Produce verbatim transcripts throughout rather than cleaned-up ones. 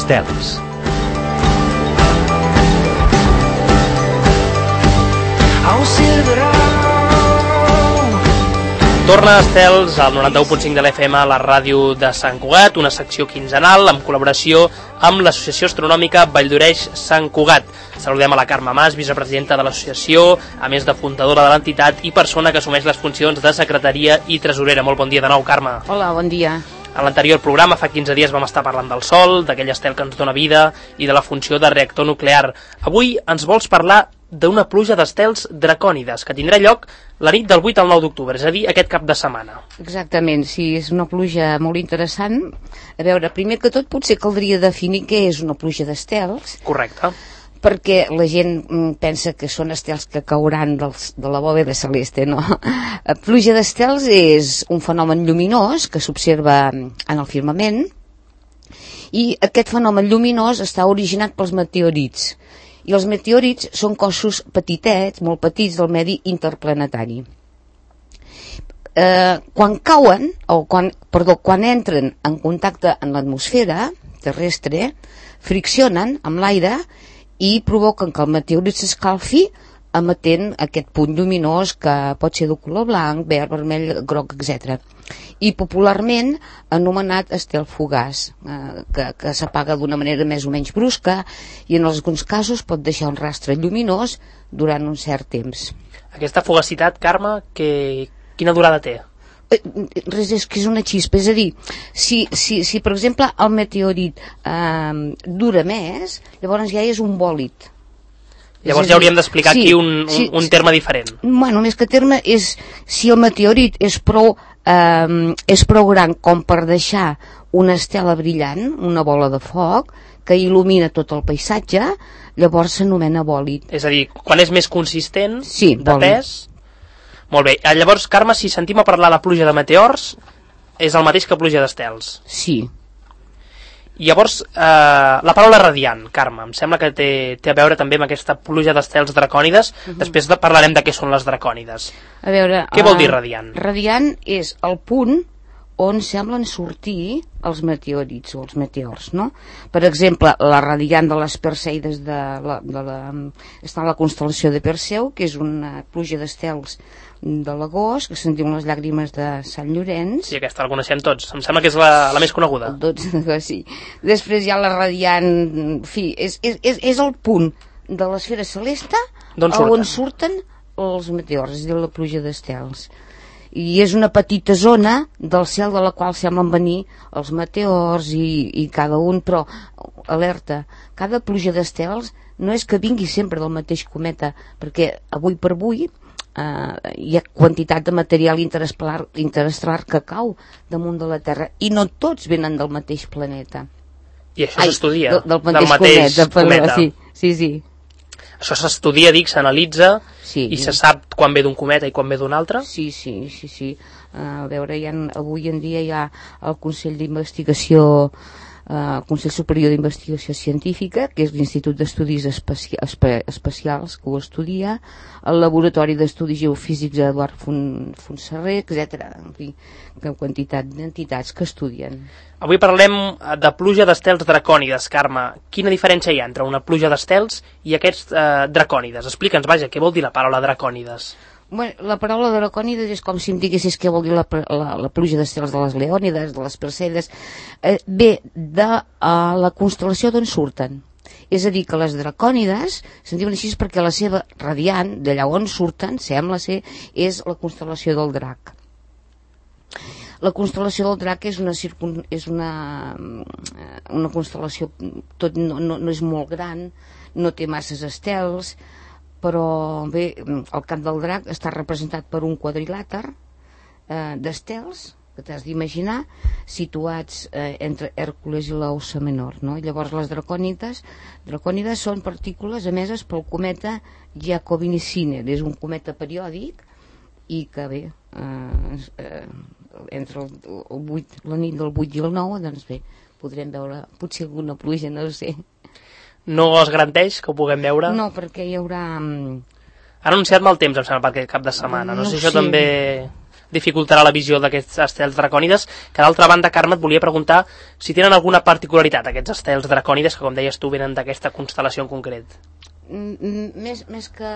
d'estels. Torna Estels al noranta-u punt cinc de l'F M a la ràdio de Sant Cugat, una secció quinzenal en col·laboració amb l'Associació Astronòmica Valldoreix-Sant Cugat. Saludem a la Carme Mas, vicepresidenta de l'associació, a més de fundadora de l'entitat i persona que assumeix les funcions de secretaria i tresorera. Molt bon dia de nou, Carme. Hola, bon dia. En l'anterior programa, fa quinze dies, vam estar parlant del Sol, d'aquell estel que ens dona vida i de la funció de reactor nuclear. Avui ens vols parlar d'una pluja d'estels dracònides que tindrà lloc la nit del vuit al nou d'octubre, és a dir, aquest cap de setmana. Exactament, sí, és una pluja molt interessant. A veure, primer que tot potser caldria definir què és una pluja d'estels. Correcte. Perquè la gent pensa que són estels que cauran dels, de la bòveda celeste, no? La pluja d'estels és un fenomen lluminós que s'observa en el firmament i aquest fenomen lluminós està originat pels meteorits. I els meteorits són cossos petitets, molt petits, del medi interplanetari. Eh, quan cauen, o quan, perdó, quan entren en contacte amb l'atmosfera terrestre, friccionen amb l'aire i provoquen que el meteorit s'escalfi emetent aquest punt lluminós que pot ser de color blanc, verd, vermell, groc, etcètera. I popularment anomenat estel fugaç, eh, que, que s'apaga d'una manera més o menys brusca i en alguns casos pot deixar un rastre lluminós durant un cert temps. Aquesta fugacitat, Carme, que, quina durada té? Eh, res, és que és una xispa, és a dir, si, si, si per exemple el meteorit eh, dura més, llavors ja és un bòlit. Llavors ja hauríem d'explicar sí, aquí un, un, sí, un terme diferent. Bueno, més que terme és si el meteorit és prou, eh, és prou gran com per deixar una estela brillant, una bola de foc, que il·lumina tot el paisatge, llavors s'anomena bòlit. És a dir, quan és més consistent, sí, de pes... Molt bé. Llavors, Carme, si sentim a parlar de pluja de meteors, és el mateix que pluja d'estels. Sí. I llavors, eh, la paraula radiant, Carme, em sembla que té, té a veure també amb aquesta pluja d'estels dracònides. Uh-huh. Després de, parlarem de què són les dracònides. A veure... Què uh, vol dir radiant? Radiant és el punt on semblen sortir els meteorits o els meteors, no? Per exemple, la radiant de les Perseides de la, de la, està a la constel·lació de Perseu, que és una pluja d'estels de l'agost, que se'n diuen les llàgrimes de Sant Llorenç. Sí, aquesta la coneixem tots. Em sembla que és la, la més coneguda. Doncs, sí. Després hi ha la radiant... En fi, és, és, és, és el punt de l'esfera celeste surten? on surten els meteors, és a dir, la pluja d'estels. I és una petita zona del cel de la qual semblen venir els meteors i, i cada un, però alerta, cada pluja d'estels no és que vingui sempre del mateix cometa, perquè avui per avui eh, hi ha quantitat de material interestel·lar, interestel·lar que cau damunt de la Terra i no tots venen del mateix planeta. I això s'estudia? Del, del mateix, del mateix cometa, cometa. Sí, sí, sí. Això s'estudia, dic, s'analitza sí, i se sap quan ve d'un cometa i quan ve d'un altre? Sí, sí, sí, sí. Uh, a veure, ha, avui en dia hi ha el Consell d'Investigació, uh, el Consell Superior d'Investigació Científica, que és l'Institut d'Estudis Especi Espe Especials, que ho estudia, el Laboratori d'Estudis Geofísics Eduard Fontserrer, etcètera. En fi, que quantitat d'entitats que estudien. Avui parlem de pluja d'estels dracònides, Carme. Quina diferència hi ha entre una pluja d'estels i aquests eh, dracònides? Explica'ns, vaja, què vol dir la paraula dracònides? Bueno, la paraula dracònides és com si em diguessis què vol dir la, la, la pluja d'estels de les Leònides, de les Perseides. Eh, ve de uh, la constel·lació d'on surten. És a dir, que les dracònides se'n diuen així perquè la seva radiant, d'allà on surten, sembla ser, és la constel·lació del drac. La constel·lació del drac és una, circun... és una, una constel·lació, tot no, no, no és molt gran, no té masses estels, però bé, el cap del drac està representat per un quadrilàter eh, d'estels, que t'has d'imaginar, situats eh, entre Hèrcules i l'Aussa Menor, no? I llavors les dracònides, dracònides són partícules emeses pel cometa Giacobini-Sinner, és un cometa periòdic i que bé, eh, eh, entre el, el vuit, la nit del vuit i el nou, doncs bé, podrem veure potser alguna pluja, no sé. No es garanteix que ho puguem veure? No, perquè hi haurà... Han anunciat mal temps, em sembla, per aquest cap de setmana. No, no sé, això també dificultarà la visió d'aquests estels dracònides, que d'altra banda, Carme, et volia preguntar si tenen alguna particularitat aquests estels dracònides, que com deies tu venen d'aquesta constel·lació en concret. Mm, més, més que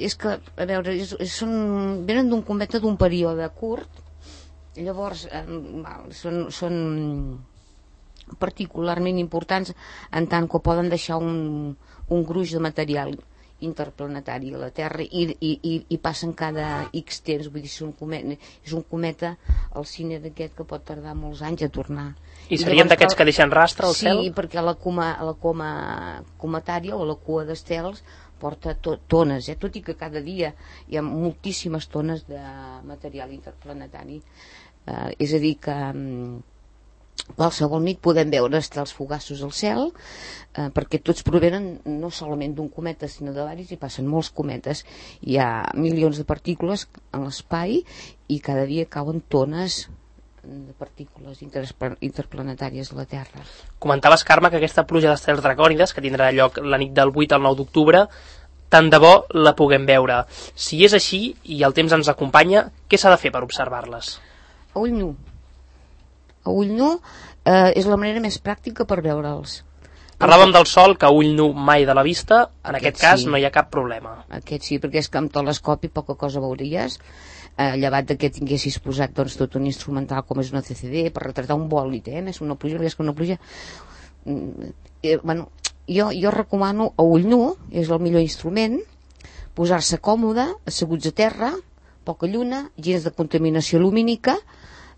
és que, a veure, és, és, són, venen d'un cometa d'un període curt, llavors eh, són, són particularment importants en tant que poden deixar un, un gruix de material interplanetari a la Terra i, i, i, i passen cada X temps, vull dir, és un cometa, és un cometa el cine d'aquest que pot tardar molts anys a tornar. I serien d'aquests que deixen rastre al sí, cel? Sí, perquè la coma, la coma cometària o la cua d'estels porta to, tones, eh? Tot i que cada dia hi ha moltíssimes tones de material interplanetari. Eh, és a dir que um, qualsevol nit podem veure estels fugaços al cel, eh, perquè tots provenen no solament d'un cometa sinó de varis, i passen molts cometes. Hi ha milions de partícules en l'espai i cada dia cauen tones de partícules interplanetàries a la Terra. Comentaves, Carme, que aquesta pluja d'estels dracònides, que tindrà lloc la nit del vuit al nou d'octubre, tant de bo la puguem veure. Si és així i el temps ens acompanya, què s'ha de fer per observar-les? A ull nu. A ull nu eh, és la manera més pràctica per veure'ls. Parlàvem del sol, que a ull nu mai de la vista, en aquest, aquest cas sí. No hi ha cap problema. Aquest sí, perquè és que amb telescopi poca cosa veuries, eh, llevat que tinguessis posat doncs, tot un instrumental com és una C C D per retratar un bòlit, eh? Més una pluja, més que una pluja. Eh, bueno, jo, jo recomano a ull nu, és el millor instrument, posar-se còmode, asseguts a terra, poca lluna, gens de contaminació lumínica,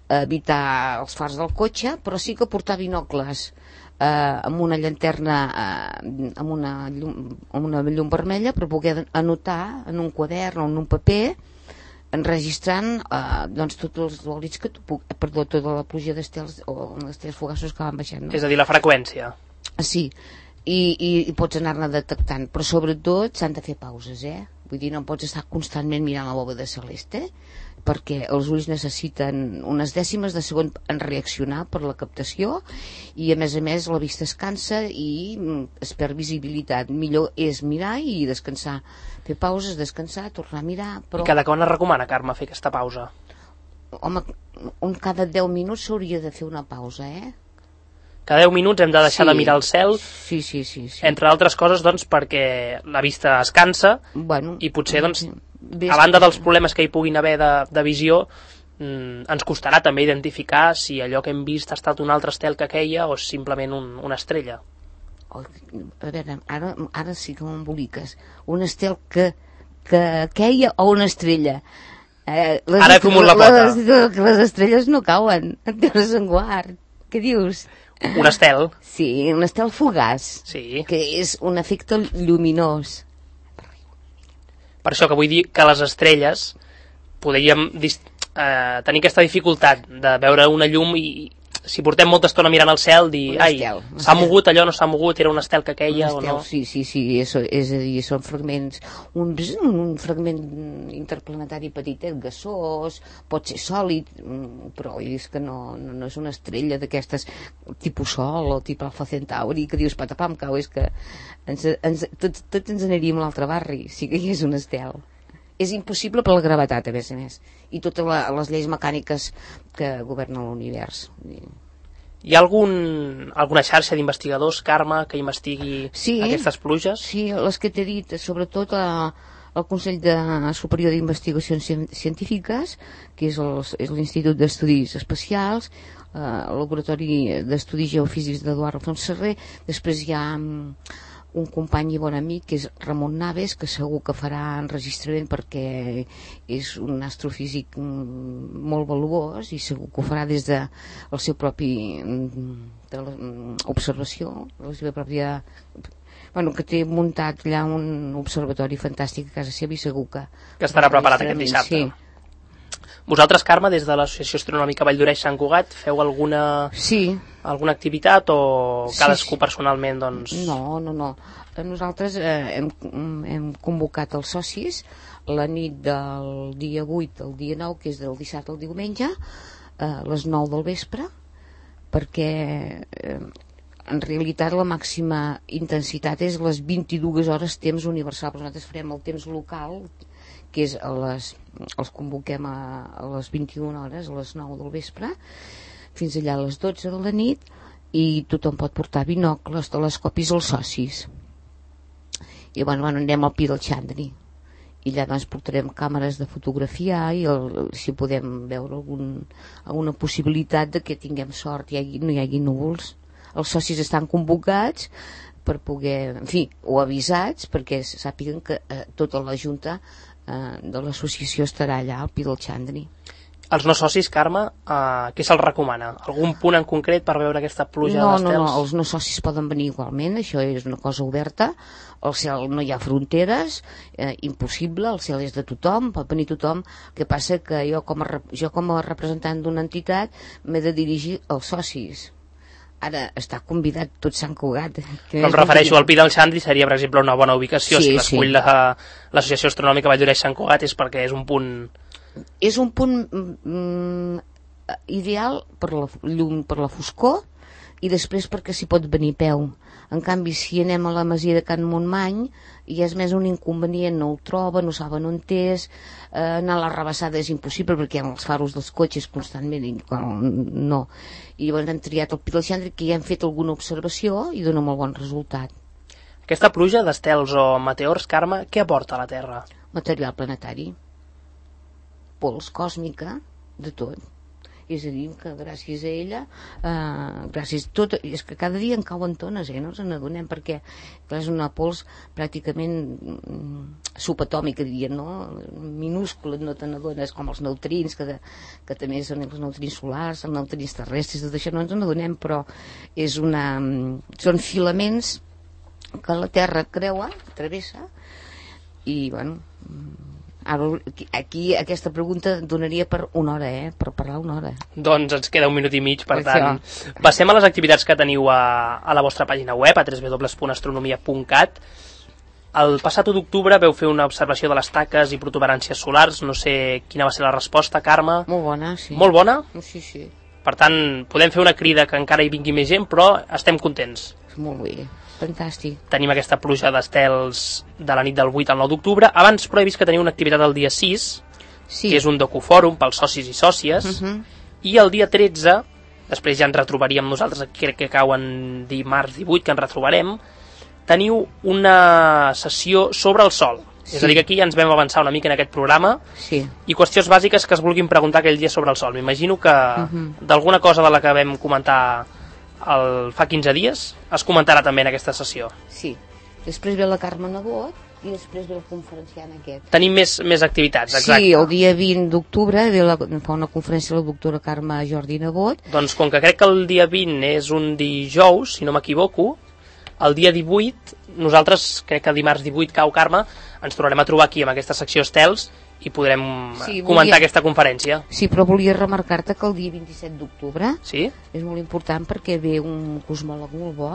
evitar els fars del cotxe, però sí que portar binocles eh, amb una llanterna eh, amb, una llum, amb una llum vermella per poder anotar en un quadern o en un paper, enregistrant eh, doncs tots els bòlits que tu puc, perdó, tota la pluja d'estels o estels fugaços que van baixant, no? És a dir, la freqüència. Sí, i, i, i pots anar-ne detectant, però sobretot s'han de fer pauses, eh? Vull dir, no pots estar constantment mirant la bòveda celeste, perquè els ulls necessiten unes dècimes de segon en reaccionar per la captació, i a més a més la vista es cansa i es perd visibilitat. Millor és mirar i descansar, fer pauses, descansar, tornar a mirar. Però... I cada quan es recomana, Carme, fer aquesta pausa? Home, un cada deu minuts s'hauria de fer una pausa, eh? Cada deu minuts hem de deixar sí. de mirar el cel, sí, sí, sí, sí. Entre altres coses, doncs, perquè la vista es cansa, bueno, i potser, doncs, ves... a banda dels problemes que hi puguin haver de, de visió, mmm, ens costarà també identificar si allò que hem vist ha estat un altre estel que queia o simplement un, una estrella. Oh, a veure, ara, ara sí que m'emboliques. Un estel que, que queia o una estrella? Eh, les ara he comut la pota. Les, les estrelles no cauen, en terres en guard. Què dius? Un estel. Sí, un estel fugaç, sí. Que és un efecte lluminós. Per això que vull dir que les estrelles podríem eh, tenir aquesta dificultat de veure una llum i si portem molta estona mirant al cel dir, ai, s'ha mogut allò, no s'ha mogut, era un estel que queia o no? Sí, sí, sí, eso, és a dir, són fragments, un, un fragment interplanetari petit, gasós, pot ser sòlid, però és que no, no, no és una estrella d'aquestes tipus Sol o tipus Alfa Centauri, que dius patapam, cau, és que ens, ens, tots, tots ens aniríem a l'altre barri, si que hi és un estel. És impossible per la gravetat, a més a més, i totes la, les lleis mecàniques que governen l'univers. Hi ha algun, alguna xarxa d'investigadors, Carme, que investigui sí, aquestes pluges? Sí, les que t'he dit, sobretot a, al Consell de Superior d'Investigacions Científiques, que és l'Institut d'Estudis Espacials, eh, el Laboratori d'Estudis Geofísics d'Eduard Alfons Serrer. Després hi ha un company i bon amic que és Ramon Naves, que segur que farà enregistrament perquè és un astrofísic molt valuós i segur que ho farà des de la seva pròpia de observació, la seva pròpia, bueno, que té muntat allà un observatori fantàstic a casa seva i segur que... Que estarà preparat aquest dissabte. Sí. Vosaltres, Carme, des de l'Associació Astronòmica Valldoreix-Sant Cugat, feu alguna, sí. alguna activitat o cadascú sí, sí. personalment? Doncs... No, no, no. Nosaltres eh, hem, hem convocat els socis la nit del dia vuit al dia nou, que és del dissabte al diumenge, a les nou del vespre, perquè eh, en realitat la màxima intensitat és les vint-i-dues hores temps universal, però nosaltres farem el temps local, que és a les, els convoquem a, a les vint-i-una hores, a les nou del vespre, fins allà a les dotze de la nit, i tothom pot portar binocles, telescopis als socis. I bueno, bueno anem al Pi del Xandri. I allà doncs portarem càmeres de fotografiar i el, si podem veure algun, alguna possibilitat de que tinguem sort i hi, no hi hagi núvols. Els socis estan convocats per poder, en fi, o avisats perquè sàpiguen que eh, tota la junta eh, de l'associació estarà allà al Pi del Xandri. Els no socis, Carme, eh, què se'ls recomana? Algun punt en concret per veure aquesta pluja no, d'estels? No, no, els no socis poden venir igualment, això és una cosa oberta, al cel no hi ha fronteres, eh, impossible, el cel és de tothom, pot venir tothom, el que passa que jo com a, jo com a representant d'una entitat m'he de dirigir als socis. Ara està convidat tot Sant Cugat. Però em refereixo al Pi del Xandri, seria per exemple una bona ubicació, sí, si l'escull sí. l'Associació Astronòmica Valldoreix Sant Cugat és perquè és un punt... És un punt mm, ideal per la llum, per la foscor, i després perquè s'hi pot venir a peu. En canvi, si anem a la masia de Can Montmany, ja és més un inconvenient, no ho troba, no saben on és, eh, anar a la rebassada és impossible perquè hi ha els faros dels cotxes constantment, i no. I llavors hem triat el Pi del Xandri, que ja hem fet alguna observació i dona molt bon resultat. Aquesta pluja d'estels o meteors, Carme, què aporta a la Terra? Material planetari, pols còsmica, de tot. És a dir, que gràcies a ella, eh, gràcies a tot, és que cada dia en cauen tones, eh, no ens n'adonem, perquè clar, és una pols pràcticament mm, subatòmica, diríem, no? Minúscula, no te n'adones, com els neutrins, que, de, que també són els neutrins solars, els neutrins terrestres, tot això no ens n'adonem, però és una, són filaments que la Terra creua, travessa, i bueno... Ara, aquí aquesta pregunta donaria per una hora, eh? Per parlar una hora. Doncs ens queda un minut i mig, per tant, passem a les activitats que teniu a, a la vostra pàgina web, a w w w punt astronomia punt cat. El passat u d'octubre veu fer una observació de les taques i protuberàncies solars, no sé quina va ser la resposta, Carme. Molt bona, sí. Molt bona? Sí, sí. Per tant, podem fer una crida que encara hi vingui més gent, però estem contents. Molt bé. Fantàstic. Tenim aquesta pluja d'estels de la nit del vuit al nou d'octubre. Abans, però, he vist que teniu una activitat el dia sis, sí. Que és un docufòrum pels socis i sòcies, uh -huh. i el dia tretze, després ja ens retrobaríem nosaltres, crec que cauen dimarts divuit, que ens retrobarem, teniu una sessió sobre el Sol. Sí. És a dir, que aquí ja ens vam avançar una mica en aquest programa, sí. I qüestions bàsiques que es vulguin preguntar aquell dia sobre el Sol. M'imagino que uh -huh. d'alguna cosa de la que vam comentar el, fa quinze dies es comentarà també en aquesta sessió. Sí, després ve la Carme Nebot i després ve el conferenciant aquest. Tenim més, més activitats, exacte. Sí, el dia vint d'octubre fa una conferència la doctora Carme Jordi Nebot. Doncs com que crec que el dia vint és un dijous, si no m'equivoco, el dia divuit, nosaltres, crec que dimarts divuit cau, Carme, ens tornarem a trobar aquí amb aquesta secció estels i podrem sí, comentar volia... aquesta conferència. Sí, però volia remarcar-te que el dia vint-i-set d'octubre sí? és molt important perquè ve un cosmòleg molt bo,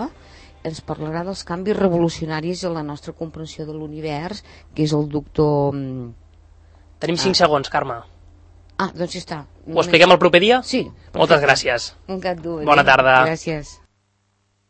ens parlarà dels canvis revolucionaris en la nostra comprensió de l'univers, que és el doctor... Tenim cinc ah. segons, Carme. Ah, doncs ja està. Ho expliquem el proper dia? Sí. Moltes gràcies. Un gat dur. Bona tarda. Gràcies.